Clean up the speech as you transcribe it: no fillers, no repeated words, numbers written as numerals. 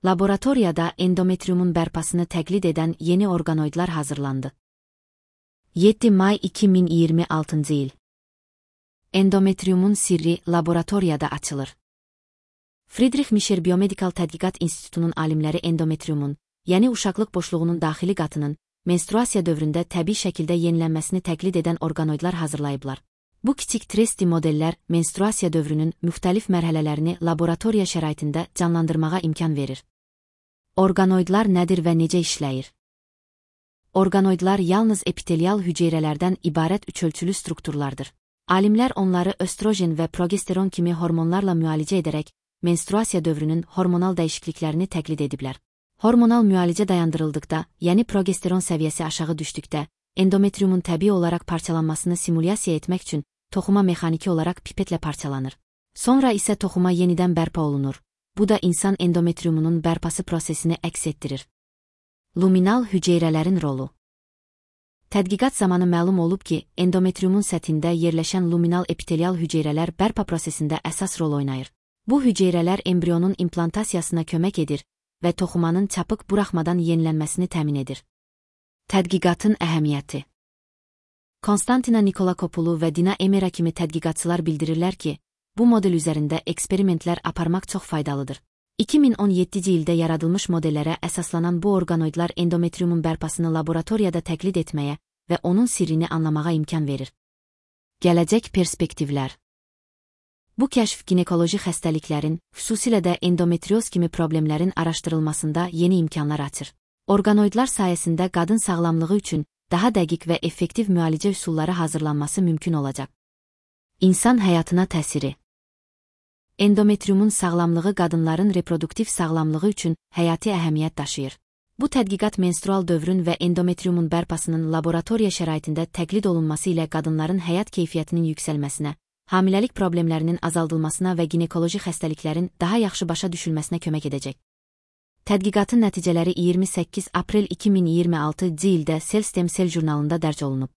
Laboratoriyada endometriumun bərpasını təqlid edən yeni orqanoidlar hazırlandı. 7 may 2026 il. Endometriumun sirri laboratoriyada açılır. Friedrich Micher Biomedikal Tədqiqat İnstitutunun alimləri endometriumun, yəni uşaqlıq boşluğunun daxili qatının, menstruasiya dövründə təbii şəkildə yenilənməsini təqlid edən orqanoidlar hazırlayıblar. Bu kiçik 3D modellər menstruasiya dövrünün müxtəlif mərhələlərini laboratoriya şəraitində canlandırmağa imkan verir. Orqanoidlar nədir və necə işləyir? Orqanoidlar yalnız epitelial hüceyrələrdən ibarət üçölçülü strukturlardır. Alimlər onları östrogen və progesteron kimi hormonlarla müalicə edərək, menstruasiya dövrünün hormonal dəyişikliklərini təqlid ediblər. Hormonal müalicə dayandırıldıqda, yəni progesteron səviyyəsi aşağı düşdükdə, endometriumun təbii olaraq parçalanmasını simulyasiya etmək üçün toxuma mexaniki olaraq pipetlə parçalanır. Sonra isə toxuma yenidən bərpa olunur. Bu da insan endometriumunun bərpası prosesini əks etdirir. Luminal hüceyrələrin rolu. Tədqiqat zamanı məlum olub ki, endometriumun səthində yerləşən luminal epitelial hüceyrələr bərpa prosesində əsas rol oynayır. Bu hüceyrələr embrionun implantasiyasına kömək edir və toxumanın çapıq buraxmadan yenilənməsini təmin edir. Tədqiqatın əhəmiyyəti. Konstantina Nikolakopulu və Dina Emera kimi tədqiqatçılar bildirirlər ki, bu model üzərində eksperimentlər aparmaq çox faydalıdır. 2017-ci ildə yaradılmış modellərə əsaslanan bu orqanoidlar endometriumun bərpasını laboratoriyada təqlid etməyə və onun sirrini anlamağa imkan verir. Gələcək perspektivlər. Bu kəşf ginekoloji xəstəliklərin, xüsusilə də endometrioz kimi problemlərin araşdırılmasında yeni imkanlar açır. Orqanoidlar sayəsində qadın sağlamlığı üçün daha dəqiq və effektiv müalicə üsulları hazırlanması mümkün olacaq. İnsan həyatına təsiri. Endometriumun sağlamlığı qadınların reproduktiv sağlamlığı üçün həyati əhəmiyyət daşıyır. Bu tədqiqat menstrual dövrün və endometriumun bərpasının laboratoriya şəraitində təqlid olunması ilə qadınların həyat keyfiyyətinin yüksəlməsinə, hamiləlik problemlərinin azaldılmasına və ginekoloji xəstəliklərin daha yaxşı başa düşülməsinə kömək edəcək. Tədqiqatın nəticələri 28 aprel 2026-cı ildə Cell Stem Cell jurnalında dərc olunub.